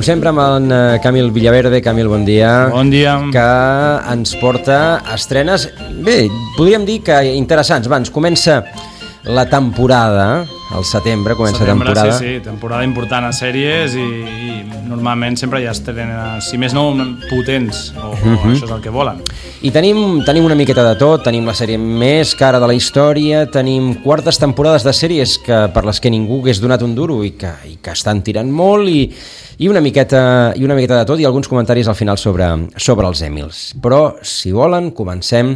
sempre, amb en Camil Villaverde. Camil, bon dia. Bon dia. Que ens porta estrenes, bé, podríem dir que interessants. Va, ens comença la temporada, al setembre comença temporada. Sí, temporada important a sèries i normalment sempre hi ha estrenes, si més no, potents, o això és el que volen. I tenim una miqueta de tot, tenim la sèrie més cara de la història, tenim quartes temporades de sèries per les que ningú hagués donat un duro i que estan tirant molt i una miqueta de tot i alguns comentaris al final sobre els Emmys. Però, si volen, comencem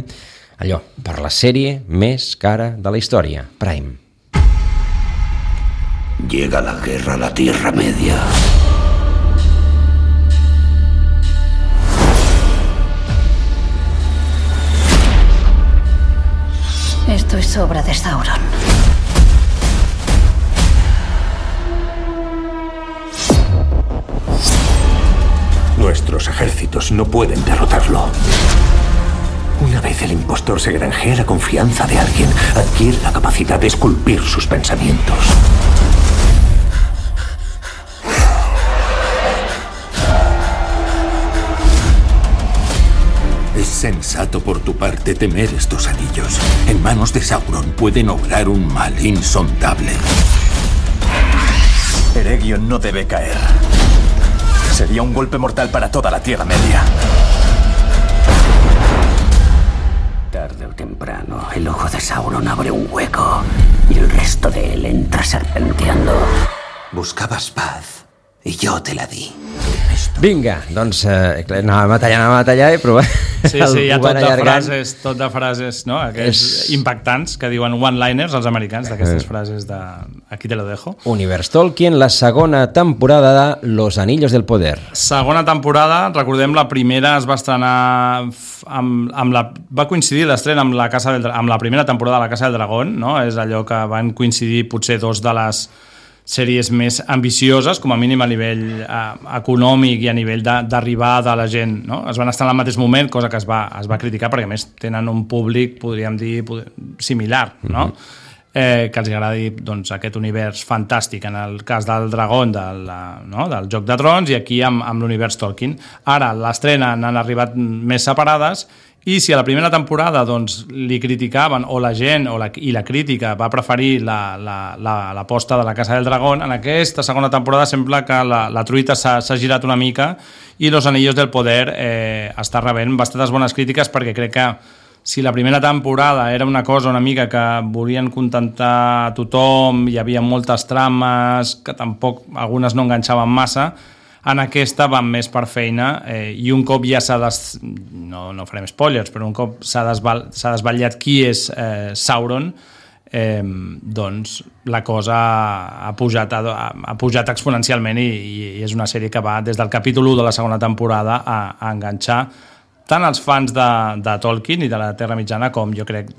allò, per la sèrie més cara de la història, Prime. Llega la guerra a la Tierra Media. Esto es obra de Sauron. Nuestros ejércitos no pueden derrotarlo. Una vez el impostor se granjea la confianza de alguien, adquiere la capacidad de esculpir sus pensamientos. Es sensato por tu parte temer estos anillos. En manos de Sauron pueden obrar un mal insondable. Eregion no debe caer. Sería un golpe mortal para toda la Tierra Media. Tarde o temprano, el ojo de Sauron abre un hueco y el resto de él entra serpenteando. Buscabas paz y yo te la di. Vinga, doncs anàvem a tallar, però Sí, hi ha tot de frases, no? Aquests impactants que diuen one-liners els americans, d'aquestes frases de aquí te lo dejo. Univers Tolkien, la segona temporada de Los Anillos del Poder. Segona temporada, recordem, la primera es va estrenar va coincidir l'estrena amb la primera temporada de La Casa del Dragón, no? És allò que van coincidir potser dos de les sèries més ambicioses, com a mínim a nivell econòmic i a nivell d'arribada de la gent, no? Es van estar al mateix moment, cosa que es va criticar perquè a més tenen un públic, podríem dir, similar, no? Que els agradi doncs, aquest univers fantàstic, en el cas del Dragón del Joc de Trons, i aquí amb l'univers Tolkien. Ara l'estrena n'han arribat més separades, i si a la primera temporada doncs, li criticaven, o la gent i la crítica va preferir l'aposta de La Casa del Dragón, en aquesta segona temporada sembla que la truita s'ha girat una mica i Los Anillos del Poder està rebent bastantes bones crítiques, perquè crec que si la primera temporada era una cosa una mica que volien contentar a tothom, hi havia moltes trames que tampoc algunes no enganxaven massa, en aquesta van més per feina i un cop ja no farem spoilers, però un cop s'ha desvetllat qui és Sauron, doncs la cosa ha pujat exponencialment i és una sèrie que va des del capítol 1 de la segona temporada a enganxar tant els fans de Tolkien i de la Terra Mitjana com jo crec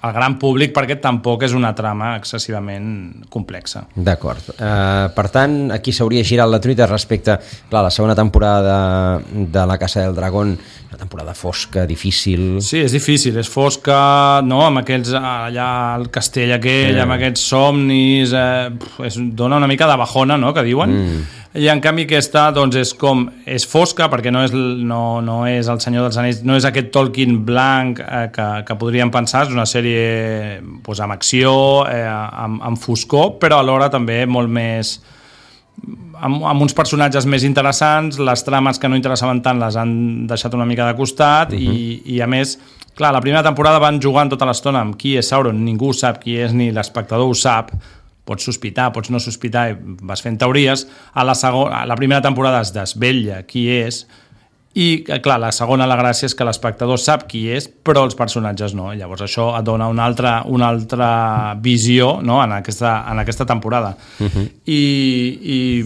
el gran públic, perquè tampoc és una trama excessivament complexa. D'acord. Per tant, aquí s'hauria girat la truita respecte a la segona temporada de La Casa del Dragón, una temporada fosca, difícil... Sí, és difícil, és fosca, no? Amb aquells, allà al castell aquell, amb aquests somnis, dona una mica de bajona, no?, que diuen. I en canvi aquesta doncs, és fosca, perquè no és el Senyor dels Anells, no és aquest Tolkien blanc que podríem pensar, és una sèrie doncs, amb acció, amb foscor, però alhora també molt més amb uns personatges més interessants. Les trames que no interessaven tant les han deixat una mica de costat i a més, clar, la primera temporada van jugant tota l'estona amb qui és Sauron, ningú sap qui és, ni l'espectador ho sap. Pots sospitar, pots no sospitar i vas fent teories. A la primera temporada es desvetlla qui és i, clar, la segona la gràcia és que l'espectador sap qui és, però els personatges no. Llavors això et dona una altra visió, no?, en aquesta temporada. I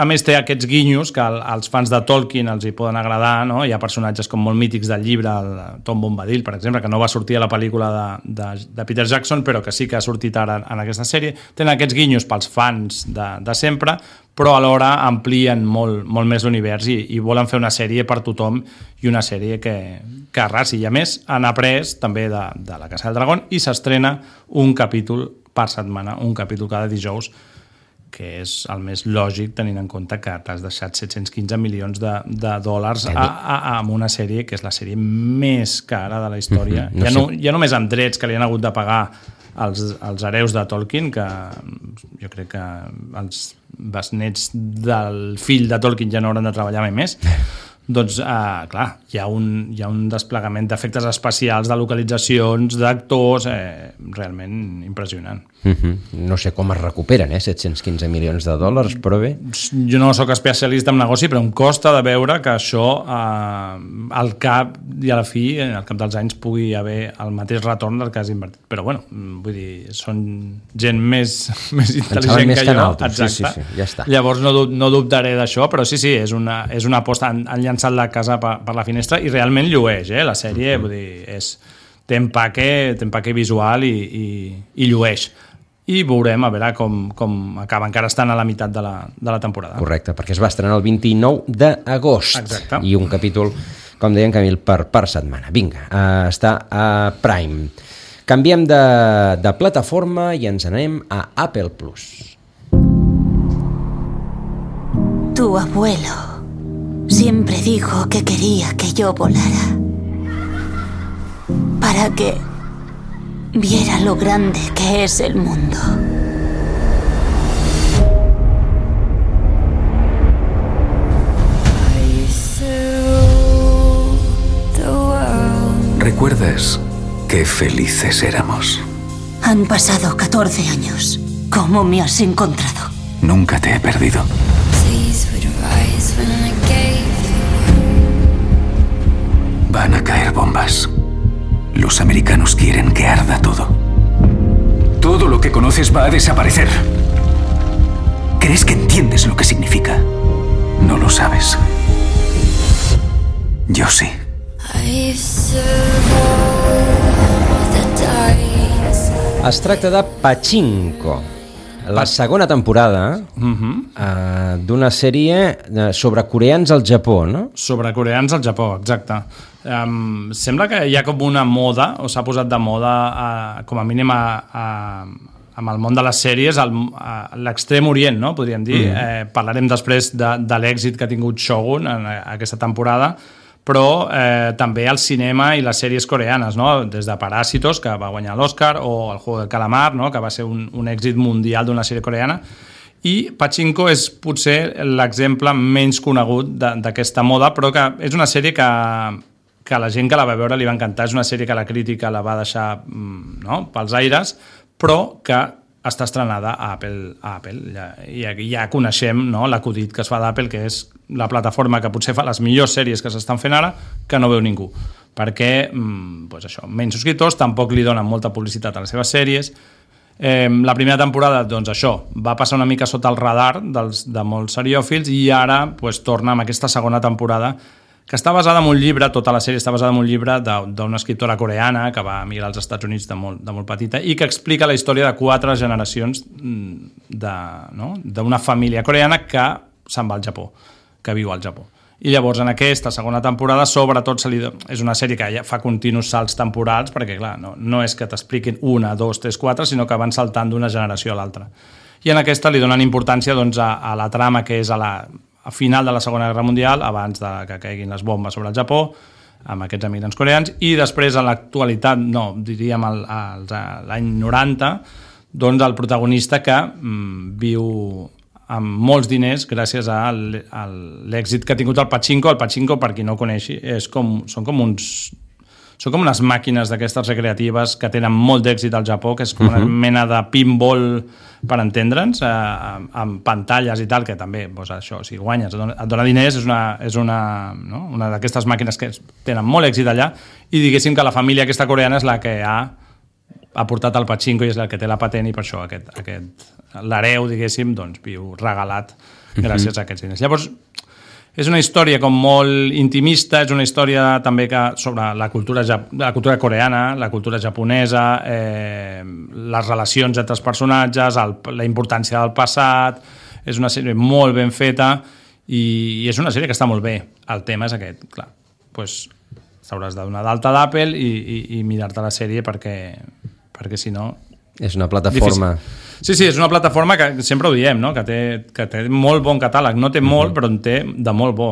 a més té aquests guinyos que als fans de Tolkien els hi poden agradar, no? Hi ha personatges com molt mítics del llibre, el Tom Bombadil, per exemple, que no va sortir a la pel·lícula de Peter Jackson, però que sí que ha sortit ara en aquesta sèrie. Tenen aquests guinyos pels fans de sempre, però alhora amplien molt més l'univers i volen fer una sèrie per tothom i una sèrie que arrasi. I a més han après també de La Casa del Dragón i s'estrena un capítol per setmana, un capítol cada dijous, que és el més lògic tenint en compte que t'has deixat 715 milions de dòlars amb una sèrie que és la sèrie més cara de la història. Ja només amb drets que li han hagut de pagar els hereus de Tolkien, que jo crec que els besnets del fill de Tolkien ja no hauran de treballar mai més. Doncs, clar, hi ha un desplegament d'efectes especials, de localitzacions, d'actors, realment impressionant. No sé com es recuperen, 715 milions de dòlars, però bé. Jo no sóc especialista en negoci, però em costa de veure que això, al cap i a la fi, al cap dels anys, pugui haver el mateix retorn del que has invertit. Però, bueno, vull dir, són gent més intel·ligent que jo. Exacte. Sí, ja està. Llavors no dubtaré d'això, però sí, és una aposta. Han llançat la casa per la finestra i realment llueix, la sèrie, vull dir, té empaque visual i llueix. I veurem a veure com acaba. Encara estan a la meitat de la temporada. Correcte, perquè es va estrenar el 29 d'agost. Exacte. I un capítol, com deien Camil, per setmana. Vinga, està a Prime. Canviem de plataforma i ens anem a Apple Plus. Tu abuelo siempre dijo que quería que yo volara para que viera lo grande que es el mundo. ¿Recuerdas qué felices éramos? Han pasado 14 años. ¿Cómo me has encontrado? Nunca te he perdido. Van a caer bombas. Los americanos quieren que arda todo. Todo lo que conoces va a desaparecer. ¿Crees que entiendes lo que significa? No lo sabes. Yo sí. Es tracta de Pachinko, la segona temporada d'una sèrie sobre coreans al Japó, no? Sobre coreans al Japó, exacte. Sembla que hi ha com una moda, o s'ha posat de moda, com a mínim amb el món de les sèries, a l'extrem orient, no? Podríem dir. Parlarem després de l'èxit que ha tingut Shogun en aquesta temporada, però també el cinema i les sèries coreanes, no? Des de Parásitos, que va guanyar l'Oscar, o El Juego del Calamar, no? Que va ser un èxit mundial d'una sèrie coreana, i Pachinko és potser l'exemple menys conegut d'aquesta moda, però que és una sèrie que la gent que la va veure li va encantar, és una sèrie que la crítica la va deixar pels aires, però que està estrenada a Apple. I ja coneixem l'acudit que es fa d'Apple, que és la plataforma que potser fa les millors sèries que s'estan fent ara, que no veu ningú. Perquè, menys subscriptors, tampoc li donen molta publicitat a les seves sèries. La primera temporada, doncs això, va passar una mica sota el radar de molts seriòfils i ara torna amb aquesta segona temporada, que està basada en un llibre, tota la sèrie està basada en un llibre d'una escriptora coreana que va emigrar als Estats Units de molt petita i que explica la història de 4 generacions d'una família coreana que se'n va al Japó, que viu al Japó. I llavors en aquesta segona temporada sobretot és una sèrie que ja fa continus salts temporals, perquè clar, no és que t'expliquin 1, 2, 3, 4, sinó que van saltant d'una generació a l'altra. I en aquesta li donen importància a la trama que és a final de la Segona Guerra Mundial, abans que caiguin les bombes sobre el Japó, amb aquests emigrants coreans, i després a l'actualitat, diríem l'any 90, doncs el protagonista que viu amb molts diners gràcies a l'èxit que ha tingut el Pachinko. El Pachinko, per qui no ho coneixi, són com unes màquines d'aquestes recreatives que tenen molt d'èxit al Japó, que és com una mena de pinball, per entendre'ns, amb pantalles i tal, que també, això, si guanyes, et dona diners, és una d'aquestes màquines que tenen molt èxit allà, i diguéssim que la família aquesta coreana és la que ha portat el Pachinko i és la que té la patent, i per això l'hereu, diguéssim, doncs viu regalat gràcies a aquests diners. Llavors, és una història com molt intimista, és una història també sobre la cultura coreana, la cultura japonesa, les relacions entre els personatges, la importància del passat. És una sèrie molt ben feta i és una sèrie que està molt bé. El tema és aquest, clar, t'hauràs de donar d'alta d'Apple i mirar-te la sèrie perquè si no És una plataforma... Sí, és una plataforma que sempre ho diem, no? que té molt bon catàleg. No té molt, però en té de molt bo.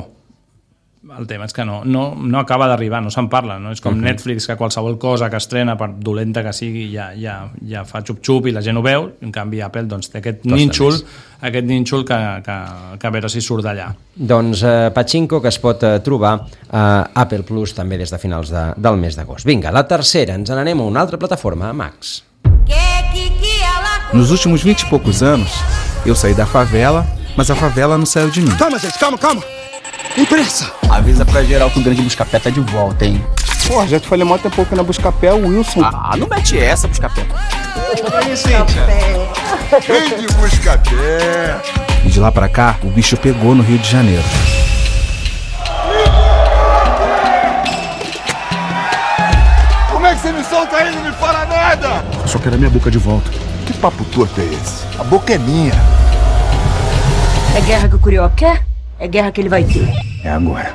El tema és que no acaba d'arribar, no se'n parla. No? És com Netflix, que qualsevol cosa que estrena, per dolenta que sigui, ja fa xup-xup i la gent ho veu. En canvi, Apple té aquest nínxol que a veure si surt d'allà. Doncs Pachinko, que es pot trobar a Apple Plus també des de finals del mes d'agost. Vinga, la tercera, ens n'anem a una altra plataforma, Max. Nos últimos 20 e poucos anos, eu saí da favela, mas a favela não saiu de mim. Calma, gente, calma. Tem pressa. Avisa pra geral que o grande Buscapé tá de volta, hein? Pô, já te falei mó tempo que na Buscapé, o Wilson. Não mete essa, Buscapé. Aí, Cíntia. Vem de Buscapé. E de lá pra cá, o bicho pegou no Rio de Janeiro. Como é que você me solta aí e não me fala nada? Só quero a minha boca de volta. Que papo torto é esse? A boca é minha. É guerra que o Curió quer? É guerra que ele vai ter. É agora.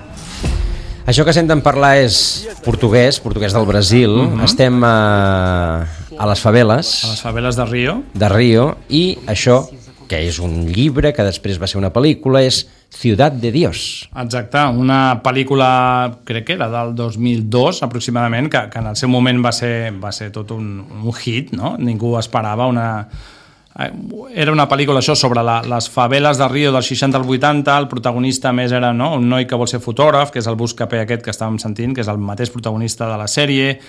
Això que senten parlar és portuguès del Brasil. Estem a les faveles. A les faveles de Rio. De Rio, i això, que és un llibre, que després va ser una pel·lícula, és Ciudad de Dios. Exacte, una pel·lícula, crec que era del 2002 aproximadament, que en el seu moment va ser tot un hit, no? Ningú esperava Era una pel·lícula això sobre les faveles de Rio dels 60 als 80, el protagonista més era un noi que vol ser fotògraf, que és el Buscapé aquest que estàvem sentint, que és el mateix protagonista de la sèrie,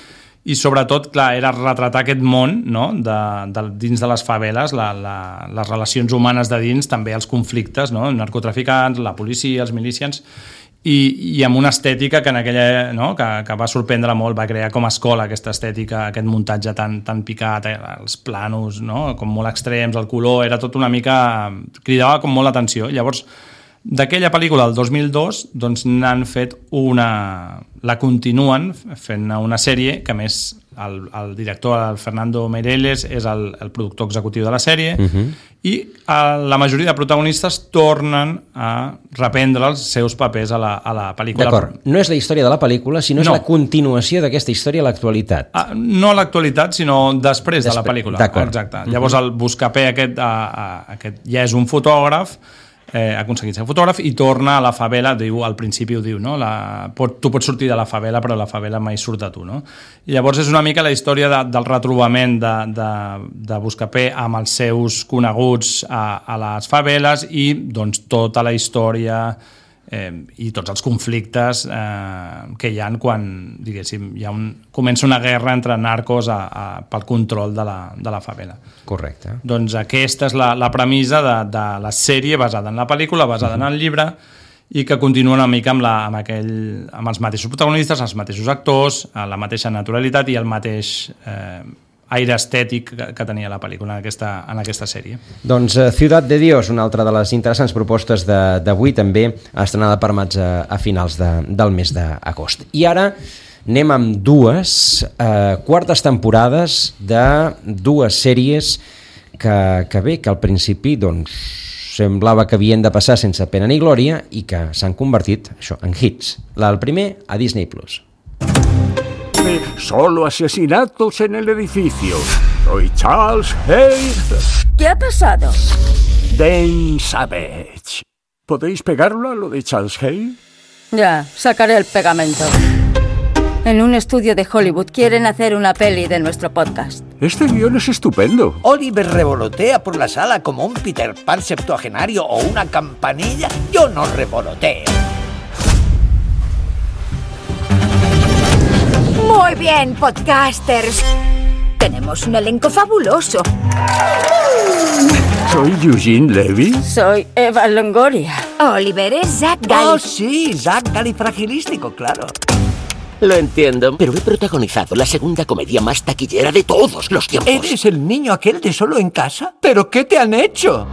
i sobretot, clar, era retratar aquest món, no? Dins de les faveles, les relacions humanes de dins, també els conflictes, no? Narcotraficants, la policia, els milicians, i amb una estètica que en aquella, no? que va sorprendre molt, va crear com a escola aquesta estètica, aquest muntatge tan picat, els planos, no? Com molt extrems, el color, era tot una mica... cridava com molt l'atenció. Llavors, d'aquella pel·lícula del 2002, doncs n'han fet la continuen fent una sèrie, que a més el director, el Fernando Meirelles, és el productor executiu de la sèrie, i la majoria de protagonistes tornen a reprendre els seus papers a la pel·lícula. D'acord, no és la història de la pel·lícula, sinó és la continuació d'aquesta història a l'actualitat. No a l'actualitat, sinó després de la pel·lícula. Exacte. Llavors el Buscapé aquest ja és un fotògraf, ha aconseguit ser fotògraf i torna a la favela, al principi ho diu, no? Tu pots sortir de la favela, però la favela mai surt de tu, no? I llavors és una mica la història del retrobament de Buscapé amb els seus coneguts a les faveles i doncs tota la història i tots els conflictes que hi ha quan, diguéssim, comença una guerra entre narcos pel control de la favela. Correcte. Doncs aquesta és la premissa de la sèrie basada en la pel·lícula, basada en el llibre, i que continua una mica amb els mateixos protagonistes, els mateixos actors, la mateixa naturalitat i el mateix aire estètic que tenia la pel·lícula en aquesta sèrie. Doncs Ciudad de Dios, una altra de les interessants propostes d'avui, també estrenada per Maig a finals del mes d'agost. I ara anem amb dues quartes temporades de dues sèries que al principi doncs semblava que havien de passar sense pena ni glòria i que s'han convertit en hits. El primer a Disney Plus. Solo asesinatos en el edificio. Soy Charles Hayes. ¿Qué ha pasado? Den Savage. ¿Podéis pegarlo a lo de Charles Hayes? Ya, sacaré el pegamento. En un estudio de Hollywood quieren hacer una peli de nuestro podcast. Este guión es estupendo. Oliver revolotea por la sala como un Peter Pan septuagenario o una campanilla. Yo no revoloteo. Muy bien, podcasters. Tenemos un elenco fabuloso. ¿Soy Eugene Levy? Soy Eva Longoria. Oliver es Zach Galli. Oh, sí, Zach Galifragilístico, claro. Lo entiendo, pero he protagonizado la segunda comedia más taquillera de todos los tiempos. ¿Eres el niño aquel de Solo en Casa? ¿Pero qué te han hecho?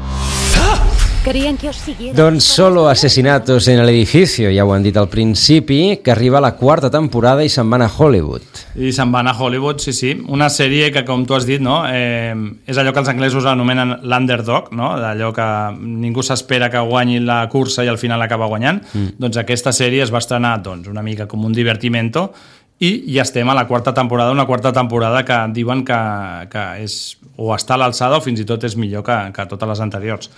Querían que os siguiera. Doncs Solo asesinatos en el edificio, ja ho han dit al principi, que arriba la quarta temporada i se'n van a Hollywood. I se'n van a Hollywood, sí. Una sèrie que, com tu has dit, no? És allò que els anglesos anomenen l'underdog, no? Allò que ningú s'espera que guanyi la cursa i al final acaba guanyant. Doncs aquesta sèrie es va estrenar una mica com un divertimento i ja estem a la quarta temporada, una quarta temporada que diuen que és, o està a l'alçada o fins i tot és millor que totes les anteriors.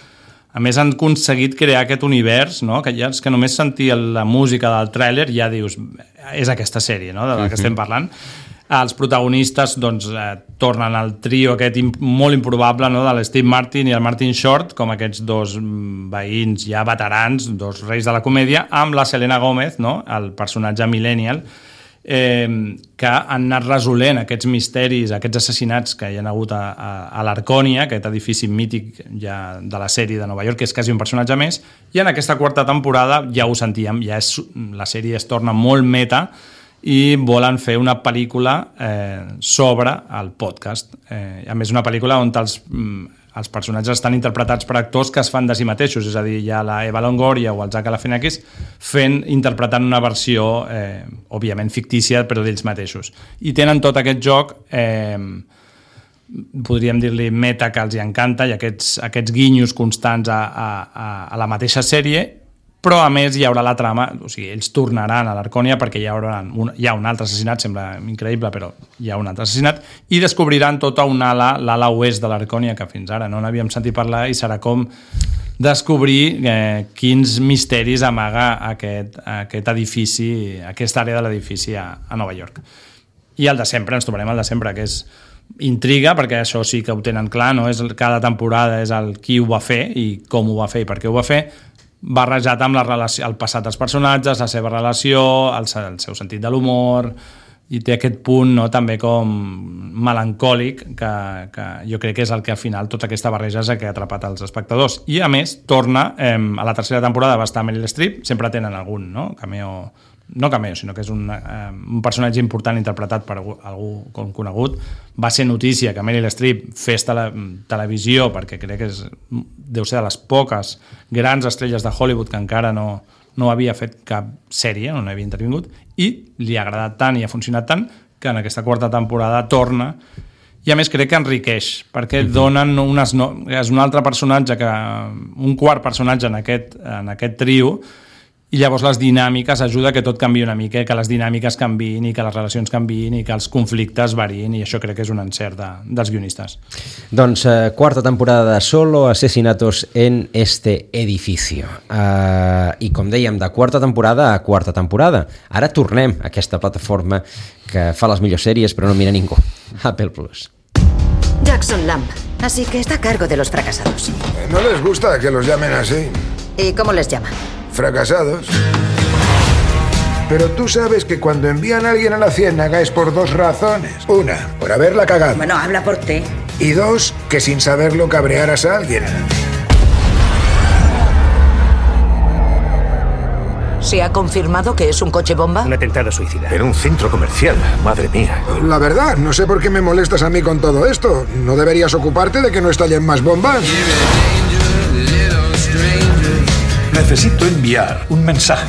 A més, han aconseguit crear aquest univers, no? Que ja és que només sentir la música del tràiler ja dius, és aquesta sèrie, no? De la que estem parlant. Els protagonistes doncs, tornen al trio aquest molt improbable, no? De l'Steve Martin i el Martin Short, com aquests dos veïns ja veterans, dos reis de la comèdia, amb la Selena Gomez, no? El personatge millennial, que han anat resolent aquests misteris, aquests assassinats que hi ha hagut a l'Arcònia, aquest edifici mític ja de la sèrie de Nova York, que és quasi un personatge més, i en aquesta quarta temporada ja ho sentíem, la sèrie es torna molt meta i volen fer una pel·lícula sobre el podcast. A més, una pel·lícula on els personatges estan interpretats per actors que es fan de si mateixos, és a dir, hi ha la Eva Longoria o el Zach Galifianakis interpretant una versió, òbviament fictícia, però d'ells mateixos. I tenen tot aquest joc, podríem dir-li meta, que els hi encanta, i aquests guinyos constants a la mateixa sèrie, però a més hi haurà la trama, o sigui, ells tornaran a l'Arcònia perquè hi ha un altre assassinat, sembla increïble, però hi ha un altre assassinat, i descobriran tota una l'ala oest de l'Arcònia, que fins ara no n'havíem sentit parlar, i serà com descobrir quins misteris amaga aquest edifici, aquesta àrea de l'edifici a Nova York. I el de sempre, ens trobarem el de sempre, que és intriga, perquè això sí que ho tenen clar, no? Cada temporada és el qui ho va fer i com ho va fer i per què ho va fer, barrejat amb el passat dels personatges, la seva relació, el seu sentit de l'humor, i té aquest punt, no, també com melancòlic, que jo crec que és el que al final tota aquesta barreja és el que ha atrapat els espectadors. I a més, torna, a la tercera temporada va estar Meryl Streep, sempre tenen algun, no? No cameo, sinó que és un personatge important interpretat per algú conegut. Va ser notícia que Meryl Streep fes televisió, perquè crec que deu ser de les poques grans estrelles de Hollywood que encara no havia fet cap sèrie, no havia intervingut, i li ha agradat tant i ha funcionat tant que en aquesta quarta temporada torna, i a més crec que enriqueix, perquè donen és un altre personatge, un quart personatge en aquest trio, i llavors les dinàmiques ajuda que tot canviï una mica, que les dinàmiques canviïn i que les relacions canviïn i que els conflictes variïn, i això crec que és un encert dels guionistes. Doncs quarta temporada de Solo Asesinatos en este edificio. I com dèiem, de quarta temporada a quarta temporada. Ara tornem a aquesta plataforma que fa les millors sèries però no mira ningú, Apple Plus. Jackson Lamb, así que está a cargo de los fracasados. No les gusta que los llamen así. ¿Y cómo les llama? Fracasados. Pero tú sabes que cuando envían a alguien a la ciénaga es por dos razones. Una, por haberla cagado. Bueno, habla por ti. Y dos, que sin saberlo cabrearas a alguien. ¿Se ha confirmado que es un coche bomba? Un atentado suicida. En un centro comercial, madre mía. La verdad, no sé por qué me molestas a mí con todo esto. ¿No deberías ocuparte de que no estallen más bombas? Necesito enviar un mensaje.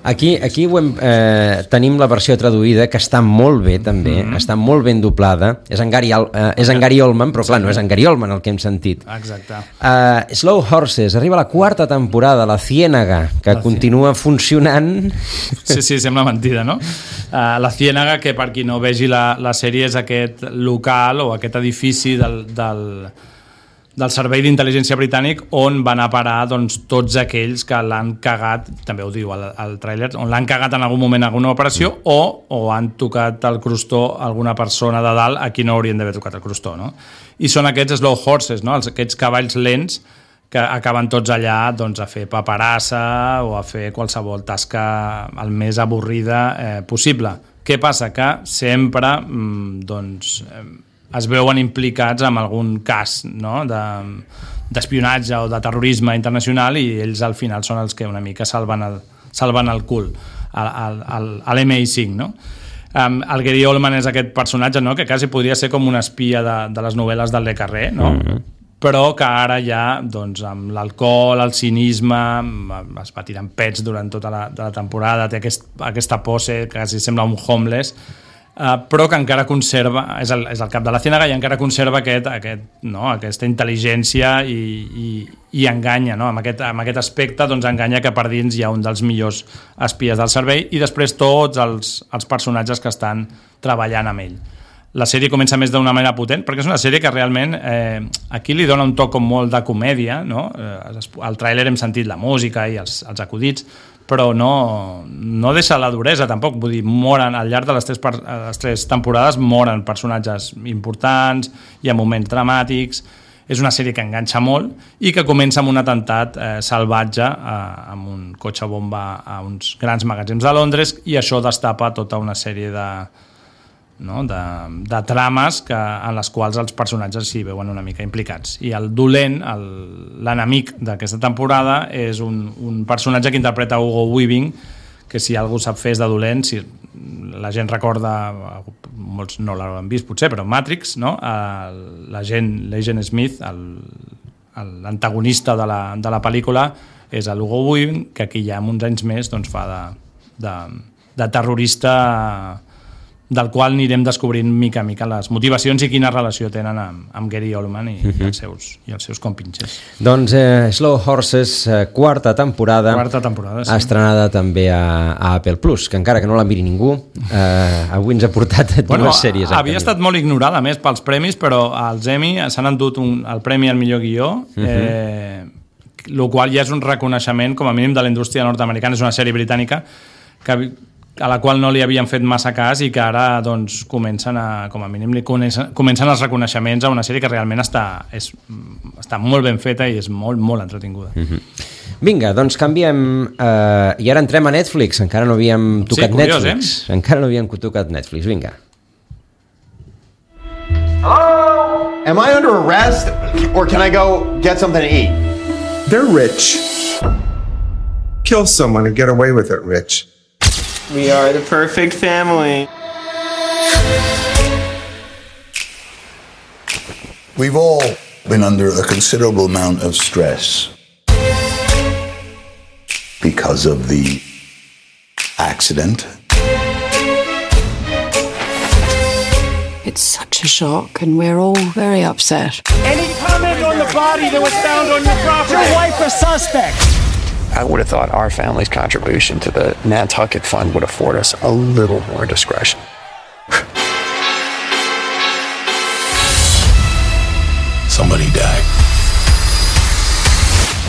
Aquí tenim la versió traduïda, que està molt bé també, està molt ben doblada. És en Gary Oldman, però clar, no és en Gary Oldman el que hem sentit. Exacte. Slow Horses, arriba la quarta temporada, La Ciénaga, que continua funcionant. Sí, sembla mentida, no? La Ciénaga, que per qui no vegi la sèrie, és aquest local o aquest edifici del Servei d'Intel·ligència Britànic on van a parar tots aquells que l'han cagat, també ho diu al tràiler, on l'han cagat en algun moment en alguna operació o han tocat el crostó alguna persona de dalt a qui no haurien d'haver tocat el crostó, no? I són aquests slow horses, no? Aquests cavalls lents que acaben tots allà a fer paperassa o a fer qualsevol tasca el més avorrida possible. Què passa? Que sempre es veuen implicats en algun cas, no? D'espionatge o de terrorisme internacional, i ells al final són els que una mica salven el cul a l'MI5, no? El Gary Oldman és aquest personatge, no? Que quasi podria ser com una espia de les novel·les del Le Carré, no? Però que ara ja, amb l'alcohol, el cinisme, es va tirant pets durant tota la temporada, té aquesta pose que quasi sembla un homeless, però que encara conserva, és el cap de la Ciénaga i encara conserva aquesta intel·ligència i enganya, no? Amb aquest aspecte doncs enganya que per dins hi ha un dels millors espies del servei i després tots els personatges que estan treballant amb ell. La sèrie comença més d'una manera potent perquè és una sèrie que realment aquí li dona un toc com molt de comèdia, no? Al tràiler hem sentit la música i els acudits, però no deixa la duresa tampoc, vull dir, moren al llarg de les tres temporades, moren personatges importants, hi ha moments dramàtics, és una sèrie que enganxa molt i que comença amb un atemptat salvatge amb un cotxe bomba a uns grans magatzems de Londres i això destapa tota una sèrie de trames en les quals els personatges s'hi veuen una mica implicats. I el dolent, l'enemic d'aquesta temporada, és un personatge que interpreta Hugo Weaving, que si algú sap fer és de dolent, si la gent recorda, molts no l'han vist potser, però Matrix, no? L'agent Smith, l'antagonista de la pel·lícula, és l'Hugo Weaving, que aquí ja uns anys més doncs, fa de terrorista del qual anirem descobrint mica a mica les motivacions i quina relació tenen amb Gary Oldman i els seus compinxes. Doncs Slow Horses, quarta temporada, sí. Estrenada també a Apple Plus, que encara que no la miri ningú, avui ens ha portat dues sèries. Havia estat molt ignorada, més, pels premis, però als Emmy s'han endut el premi al millor guió, el qual ja és un reconeixement, com a mínim, de la indústria nord-americana. És una sèrie britànica a la qual no li havien fet massa cas i que ara doncs, comencen els reconeixements a una sèrie que realment està molt ben feta i és molt, molt entretinguda. Vinga, doncs canviem i ara entrem a Netflix. Encara no havíem tocat Netflix. Encara no havíem tocat Netflix. Vinga. Hello? Am I under arrest or can I go get something to eat? They're rich. Kill someone and get away with it, Rich. We are the perfect family. We've all been under a considerable amount of stress because of the accident. It's such a shock and we're all very upset. Any comment on the body that was found on your property? Your wife a suspect? I would have thought our family's contribution to the Nantucket Fund would afford us a little more discretion. Somebody died.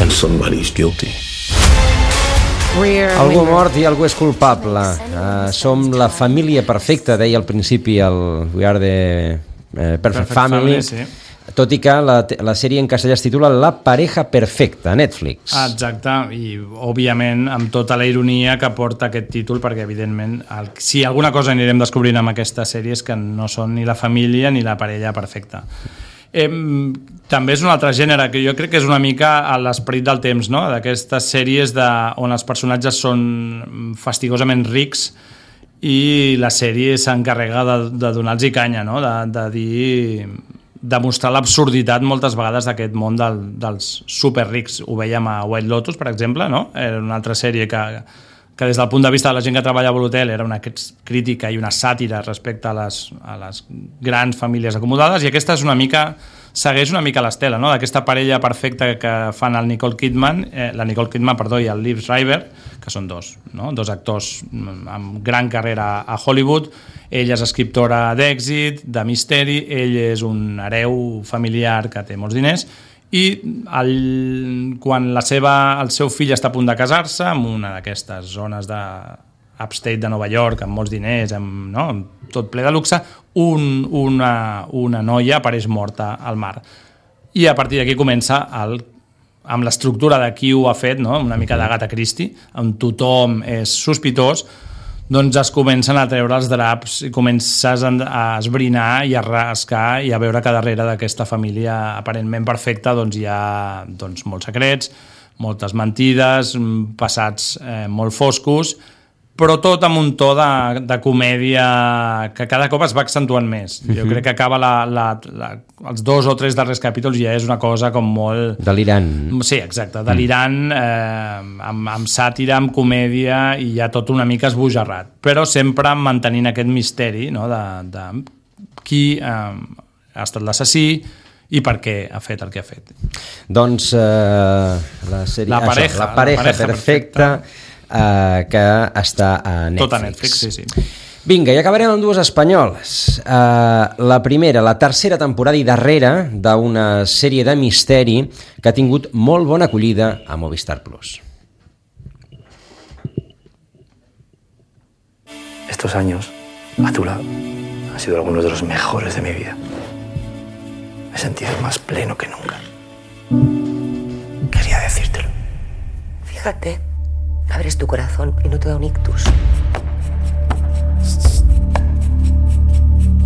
And somebody's guilty. Algú mort i algú és culpable. Som la família perfecta, deia al principi We Are the Perfect Family. Sí. Tot i que la sèrie en castellà es titula La pareja perfecta, a Netflix. Exacte, i òbviament amb tota la ironia que porta aquest títol, perquè evidentment si alguna cosa anirem descobrint amb aquesta sèrie és que no són ni la família ni la parella perfecta. També és un altre gènere que jo crec que és una mica a l'esperit del temps, no? D'aquestes sèries on els personatges són fastigosament rics i la sèrie s'encarrega de donar-los canya, no? De mostrar l'absurditat moltes vegades d'aquest món dels superrics. Ho veiem a White Lotus, per exemple, no? Era una altra sèrie que des del punt de vista de la gent que treballa a l'hotel era una crítica i una sàtira respecte a les grans famílies acomodades, i aquesta segueix una mica l'estela, no? D'aquesta parella perfecta que fan la Nicole Kidman i el Liv Schreiber, que són dos actors amb gran carrera a Hollywood. Ella és escriptora d'èxit, de misteri, ell és un hereu familiar que té molts diners, i quan el seu fill està a punt de casar-se en una d'aquestes zones upstate de Nova York, amb molts diners, amb tot ple de luxe, una noia apareix morta al mar. I a partir d'aquí comença amb l'estructura de qui ho ha fet, no? Una mica d'Agatha Christie, on tothom és sospitós, doncs es comencen a treure els draps i comences a esbrinar i a rascar i a veure que darrere d'aquesta família aparentment perfecta hi ha molts secrets, moltes mentides, passats molt foscos, però tot amb un to de comèdia que cada cop es va accentuant més. Jo crec que acaba els 2 o 3 darrers capítols ja és una cosa com molt... delirant. Sí, exacte, delirant, amb sàtira, amb comèdia, i ja tot una mica esbojarrat, però sempre mantenint aquest misteri, no?, de qui ha estat l'assassí i per què ha fet el que ha fet. Doncs la sèrie... La pareja perfecta, que està a Netflix. Tot a Netflix, sí. Vinga, i acabarem amb 2 espanyoles. La primera, la tercera temporada i darrera d'una sèrie de misteri que ha tingut molt bona acollida a Movistar Plus. Estos años a tu lado han sido algunos de los mejores de mi vida. Me he sentido más pleno que nunca. Quería decírtelo. Fíjate, abres tu corazón y no te da un ictus.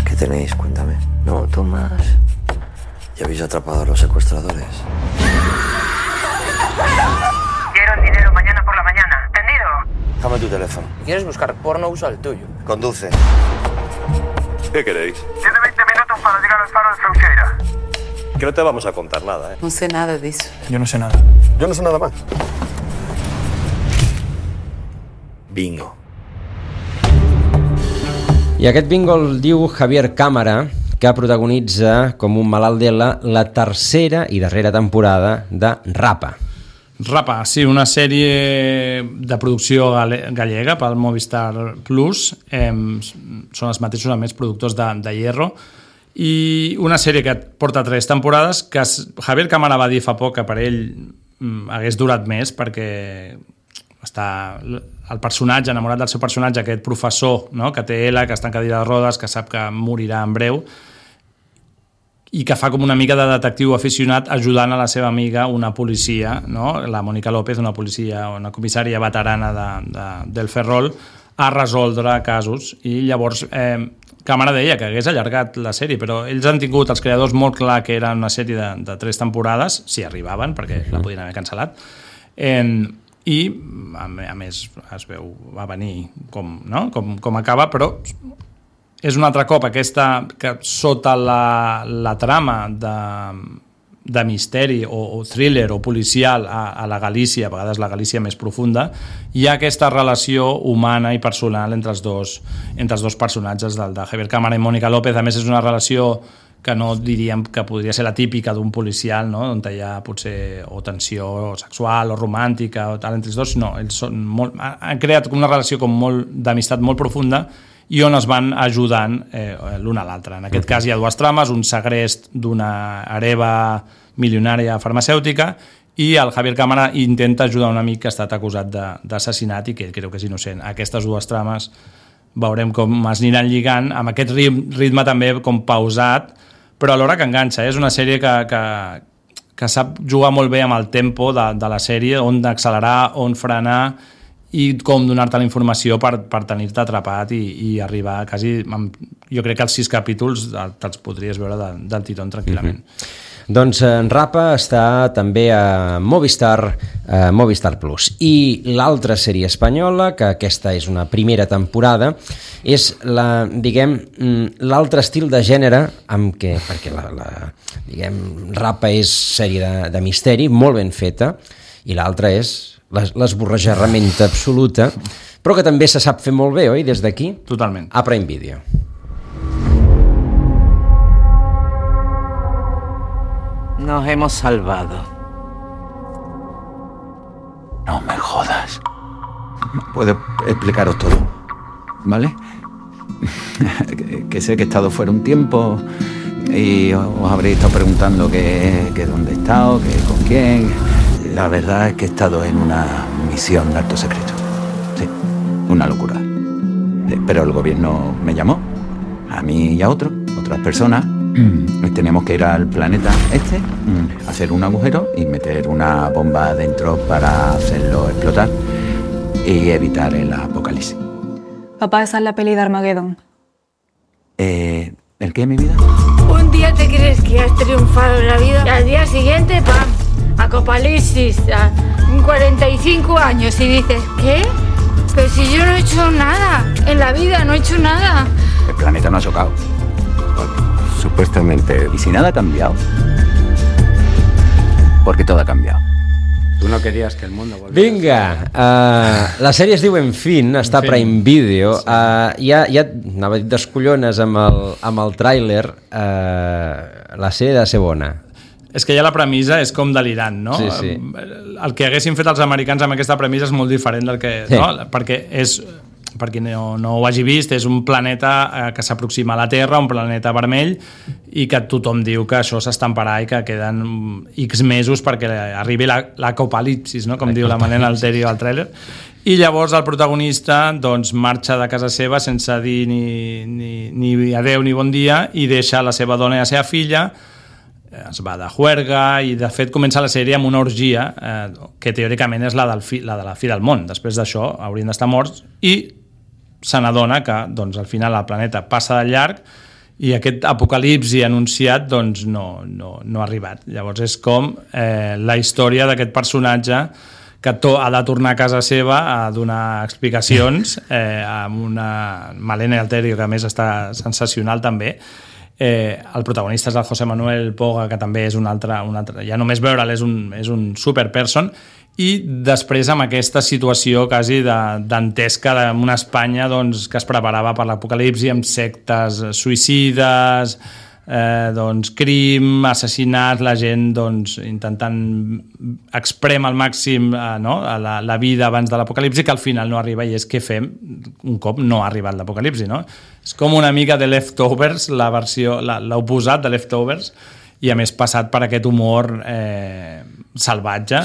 ¿Qué tenéis? Cuéntame. No, Tomás. ¿Ya habéis atrapado a los secuestradores? Quiero el dinero mañana por la mañana. ¿Entendido? Dame tu teléfono. Si quieres buscar porno, usa el tuyo. Conduce. ¿Qué queréis? Tiene 20 minutos para llegar al faro de Feuqueira. Que no te vamos a contar nada, ¿eh? No sé nada de eso. Yo no sé nada. Yo no sé nada más. Bingo. I aquest bingo el diu Javier Cámara, que protagonitza com un malalt d'ELA la tercera i darrera temporada de Rapa. Rapa, sí, una sèrie de producció gallega pel Movistar Plus. Són els mateixos, a més, productors de Hierro. I una sèrie que porta 3 temporades, que Javier Cámara va dir fa poc que per ell hagués durat més, perquè està el personatge, enamorat del seu personatge, aquest professor, no?, que té ELA, que està en cadira de rodes, que sap que morirà en breu, i que fa com una mica de detectiu aficionat ajudant a la seva amiga, una policia, no?, la Mónica López, una policia, una comissària veterana del Ferrol, a resoldre casos. I llavors Cámara deia que hagués allargat la sèrie, però ells han tingut, els creadors, molt clar que era una sèrie de 3 temporades, si arribaven, perquè la podien haver cancel·lat, i a més es veu va venir com acaba, però és un altre cop aquesta que sota la trama de misteri o thriller o policial a la Galícia, a vegades la Galícia més profunda, hi ha aquesta relació humana i personal entre els dos personatges de Javier Cámara i Mónica López. A més, és una relació que no diríem que podria ser la típica d'un policial, no?, on hi ha potser o tensió sexual o romàntica o tal entre els dos, no, ells han creat una relació d'amistat molt profunda i on es van ajudant l'un a l'altre. En aquest cas hi ha 2 trames, un segrest d'una hereva milionària farmacèutica i el Javier Cámara intenta ajudar un amic que ha estat acusat d'assassinat i que ell creu que és innocent. Aquestes 2 trames veurem com es aniran lligant amb aquest ritme també com pausat, però alhora que enganxa. És una sèrie que sap jugar molt bé amb el tempo de la sèrie, on accelerar, on frenar i com donar-te la informació per tenir-te atrapat i arribar quasi... Jo crec que els 6 capítols te'ls podries veure del tirón tranquil·lament. Doncs Rapa està també a Movistar Plus. I l'altra sèrie espanyola, que aquesta és una primera temporada, és l'altre estil de gènere amb què, perquè Rapa és sèrie de misteri, molt ben feta, i l'altra és l'esborrajarramenta absoluta, però que també se sap fer molt bé, oi, des d'aquí? Totalment. A Prime Video. Nos hemos salvado. No me jodas. Puedo explicaros todo, ¿vale? Que sé que he estado fuera un tiempo y os habréis estado preguntando que dónde he estado, que con quién. La verdad es que he estado en una misión de alto secreto. Sí, una locura. Pero el gobierno me llamó, a mí y a otras personas. Teníamos que ir al planeta hacer un agujero y meter una bomba dentro para hacerlo explotar y evitar el apocalipsis. Papá, esa es la peli de Armageddon. ¿El qué, mi vida? Un día te crees que has triunfado en la vida y al día siguiente, ¡pam! Apocalipsis, 45 años y dices, ¿qué? Pero si yo no he hecho nada, en la vida no he hecho nada. El planeta no ha chocado. Supuestamente. ¿Y si nada ha cambiado? Porque todo ha cambiado. Tú no querías que el mundo volviera. Vinga, la sèrie es diu En Fin, està a Prime Video. Ja anava a dir descollones amb el tràiler. La sèrie de ser bona. És que ja la premissa és com delirant, no? Sí. El que haguessin fet els americans amb aquesta premissa és molt diferent del que... Sí. No? Perquè és... Per qui no ho hagi vist, és un planeta que s'aproxima a la Terra, un planeta vermell, i que tothom diu que això s'estamparà i que queden X mesos perquè arribi l'apocalipsis, no? Com diu la Manena Alterio al tràiler. I llavors el protagonista doncs, marxa de casa seva sense dir ni adeu ni bon dia i deixa la seva dona i la seva filla, es va de juerga i de fet comença la sèrie amb una orgia que teòricament és la de la fi del món. Després d'això haurien d'estar morts i se n'adona que doncs, al final el planeta passa de llarg i aquest apocalipsi anunciat doncs, no ha arribat. Llavors és com la història d'aquest personatge que ha de tornar a casa seva a donar explicacions amb una Malena Alterio que a més està sensacional també. El protagonista és el José Manuel Poga, que també és un altre ja només veure'l és un superperson, i després amb aquesta situació quasi dantesca d'una Espanya doncs, que es preparava per l'apocalipsi amb sectes suïcides, doncs, crim, assassinats, la gent doncs, intentant exprem al màxim la vida abans de l'apocalipsi, que al final no arriba, i és què fem un cop no ha arribat l'apocalipsi, no? És com una mica de Leftovers, la versió, l'oposat de Leftovers, i a més passat per aquest humor salvatge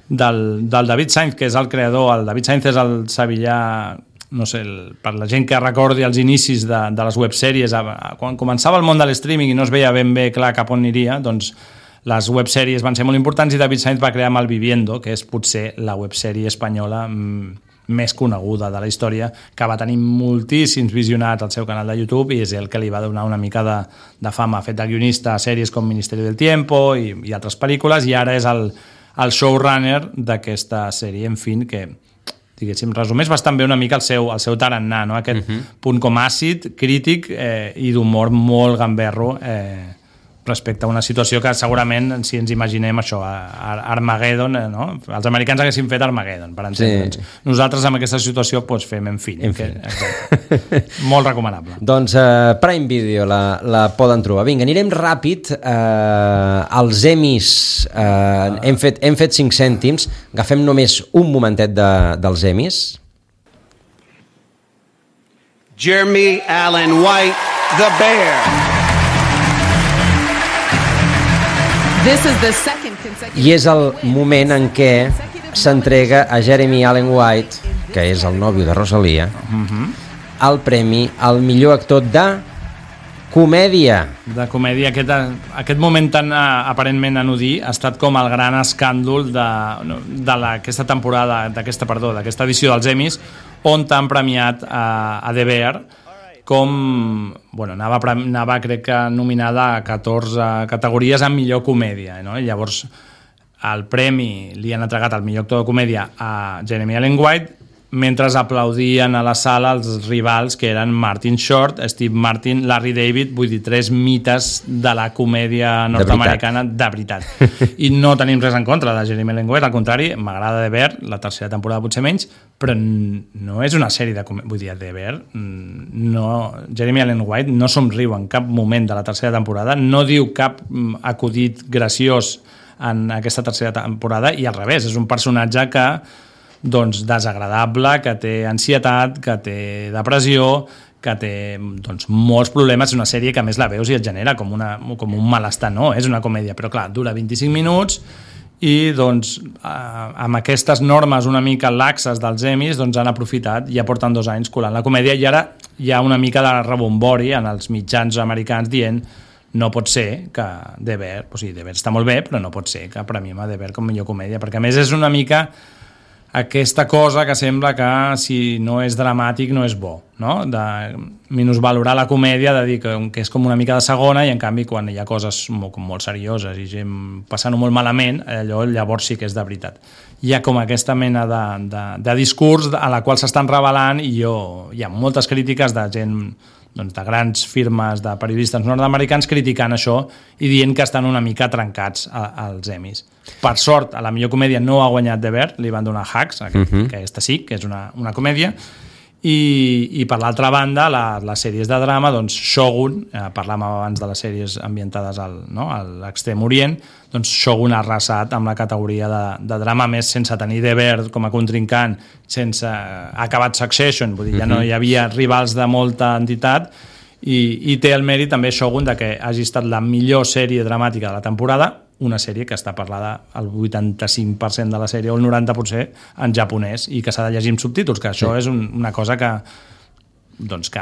del David Sainz, que és el creador. El David Sainz és el sevillà, no sé, per la gent que recordi els inicis de les websèries, quan començava el món de l'streaming i no es veia ben bé clar cap on aniria, doncs les websèries van ser molt importants i David Sainz va crear Malviviendo, que és potser la websèrie espanyola més coneguda de la història, que va tenir moltíssims visionats al seu canal de YouTube i és el que li va donar una mica de fama. Ha fet de guionista a sèries com Ministerio del Tiempo i altres pel·lícules, i ara és el showrunner d'aquesta sèrie, En Fin, que diguéssim, resumeix bastant bé una mica el seu tarannà, no? Aquest punt com àcid, crític i d'humor molt gamberro respecte a una situació que segurament, si ens imaginem això, Armageddon, no? Els americans haguessin fet Armageddon, per entendre'ns. Nosaltres amb aquesta situació doncs, fem En Fin. Molt recomanable. Doncs Prime Video la poden trobar. Vinga, anirem ràpid als Emmys. Hem fet 5 cèntims. Agafem només un momentet dels Emmys. Jeremy Allen White, The Bear. I és el moment en què s'entrega a Jeremy Allen White, que és el nòvio de Rosalia, el premi al millor actor de comèdia. De comèdia. Aquest moment tan aparentment anodí ha estat com el gran escàndol d'aquesta temporada, d'aquesta edició dels Emmys, on t'han premiat a The Bear, com anava crec que nominada a 14 categories en millor comèdia, no? I llavors el premi li han entregat el millor actor de comèdia a Jeremy Allen White, mentre aplaudien a la sala els rivals, que eren Martin Short, Steve Martin, Larry David, vull dir, 3 mites de la comèdia nord-americana de veritat. I no tenim res en contra de Jeremy Allen White, al contrari, m'agrada The Bear, la tercera temporada potser menys, però no és una sèrie de comèdia. Vull dir, The Bear, Jeremy Allen White no somriu en cap moment de la tercera temporada, no diu cap acudit graciós en aquesta tercera temporada, i al revés, és un personatge que doncs desagradable, que té ansietat, que té depressió, que té doncs, molts problemes. És una sèrie que a més la veus i et genera com un malestar. No, és una comèdia, però clar, dura 25 minuts i doncs amb aquestes normes una mica laxes dels Emmys doncs han aprofitat i ja porten 2 anys colant la comèdia, i ara hi ha una mica de rebombori en els mitjans americans dient no pot ser que The Bear, The Bear està molt bé, però no pot ser que premiem a The Bear com millor comèdia, perquè a més és una mica aquesta cosa que sembla que si no és dramàtic no és bo, no? De minusvalorar la comèdia, de dir que és com una mica de segona, i en canvi quan hi ha coses molt serioses i gent passant-ho molt malament, allò llavors sí que és de veritat. Hi ha com aquesta mena de discurs a la qual s'estan revelant, i hi ha moltes crítiques de gent, doncs, de grans firmes de periodistes nord-americans criticant això i dient que estan una mica trencats als Emmys. Per sort, a la millor comèdia no ha guanyat The Bear, li van donar Hacks, que aquesta sí, que és una comèdia, i per l'altra banda, les sèries de drama, doncs Shogun, parlàvem abans de les sèries ambientades a l'Extrem Orient, doncs Shogun ha arrasat amb la categoria de drama, més sense tenir The Bear com a contrincant, sense acabat Succession, vull dir, ja no hi havia rivals de molta entitat, i té el mèrit també Shogun de que hagi estat la millor sèrie dramàtica de la temporada, una sèrie que està parlada el 85% de la sèrie o el 90% en japonès i que s'ha de llegir amb subtítols, que això és una cosa que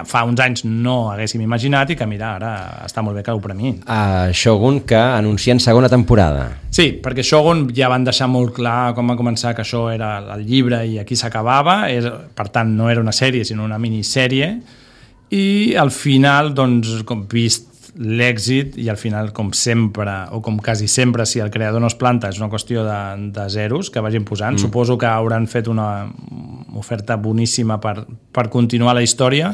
fa uns anys no haguéssim imaginat i que, mira, ara està molt bé que ho premiïn. Shogun, que anuncien segona temporada. Sí, perquè Shogun ja van deixar molt clar com va començar que això era el llibre i aquí s'acabava, per tant no era una sèrie sinó una minissèrie, i al final, doncs, com vist l'èxit, i al final, com sempre, o com quasi sempre, si el creador no es planta, és una qüestió de zeros que vagin posant. Suposo que hauran fet una oferta boníssima per continuar la història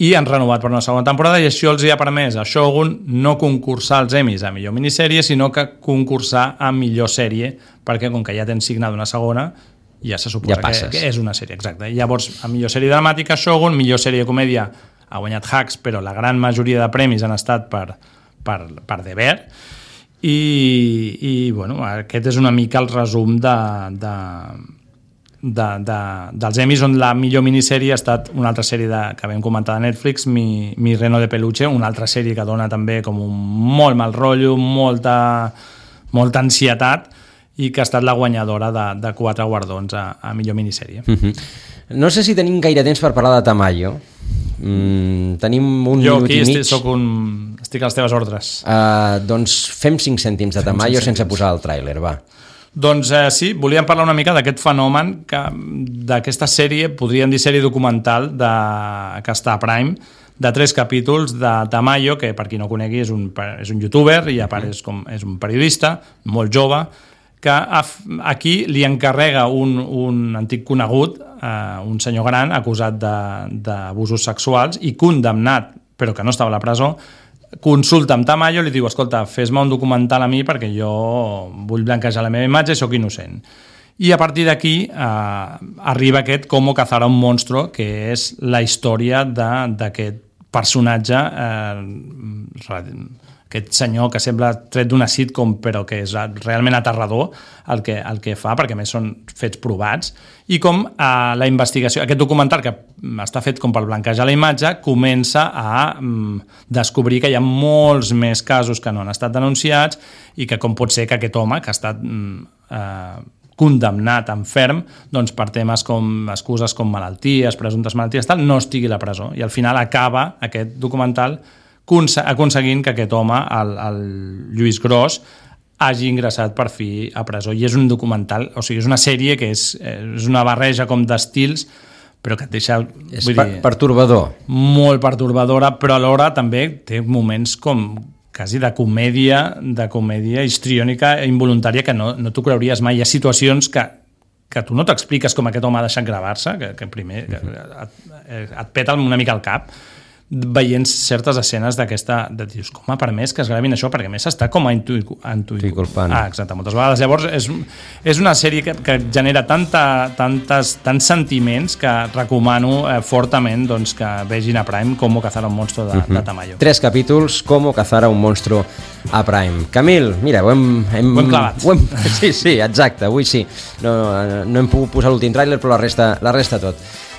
i han renovat per una segona temporada, i això els hi ha permès a Shogun no concursar als Emmys a millor minissèrie, sinó que concursar a millor sèrie, perquè com que ja tens signat una segona, ja se suposa que és una sèrie, exacte. Llavors, a millor sèrie dramàtica Shogun, millor sèrie de comèdia ha guanyat Hacks, però la gran majoria de premis han estat per The Bear, i bueno, aquest és una mica el resum dels Emmys, on la millor minissèrie ha estat una altra sèrie que vam comentar de Netflix, Mi Reno de Peluche, una altra sèrie que dona també com un molt mal rotllo, molta ansietat, i que ha estat la guanyadora de 4 guardons a millor minissèrie. No sé si tenim gaire temps per parlar de Tamayo. Tenim un minut i mig. Estic a les teves ordres. Doncs fem 5 cèntims de Tamayo sense posar el tràiler, va. Doncs sí, volíem parlar una mica d'aquest fenomen, d'aquesta sèrie, podríem dir sèrie documental que està a Prime, de 3 capítols de Tamayo, que per qui no conegui és un youtuber i a part és un periodista molt jove, que aquí li encarrega un antic conegut, un senyor gran acusat d'abusos sexuals i condemnat, però que no estava a la presó, consulta amb Tamayo i li diu: escolta, fes-me un documental a mi perquè jo vull blanquejar la meva imatge i sóc innocent. I a partir d'aquí arriba aquest Cómo cazar a un monstruo, que és la història d'aquest personatge, aquest senyor que sembla tret d'una sitcom però que és realment aterrador el que fa, perquè a més són fets provats, i com la investigació, aquest documental que està fet com per blanquejar la imatge, comença a descobrir que hi ha molts més casos que no han estat denunciats i que com pot ser que aquest home que ha estat condemnat en ferm, doncs per temes com excuses com malalties, presumptes malalties, tal, no estigui a la presó, i al final acaba aquest documental aconseguint que aquest home, el Lluís Gros, hagi ingressat per fi a presó. I és un documental, o sigui, és una sèrie que és una barreja com d'estils, però que et deixa... És pertorbador. Molt pertorbadora, però alhora també té moments com quasi de comèdia histriònica involuntària que no t'ho creuries mai. Hi ha situacions que tu no t'expliques com aquest home ha deixat gravar-se, que primer et peta una mica el cap, veient certes escenes d'aquesta, dius, com ha permès que es gravin això, perquè a més està com a inculpant. Exacte, moltes vegades. Llavors és una sèrie que genera tants sentiments que recomano fortament que vegin a Prime Cómo cazar a un monstruo de Tamayo. 3 capítols, Cómo cazar a un monstruo a Prime. Camil, mira, ho hem clavat. Sí, exacte, avui sí. No hem pogut posar l'últim tràiler, però la resta tot.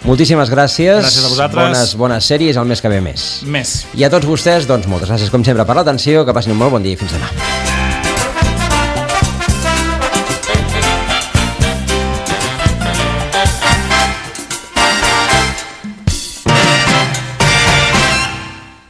Moltíssimes gràcies. Gràcies a vosaltres. Bones sèries, el mes que ve més. Més. I a tots vostès, doncs moltes gràcies com sempre per l'atenció, que passin un molt bon dia i fins demà.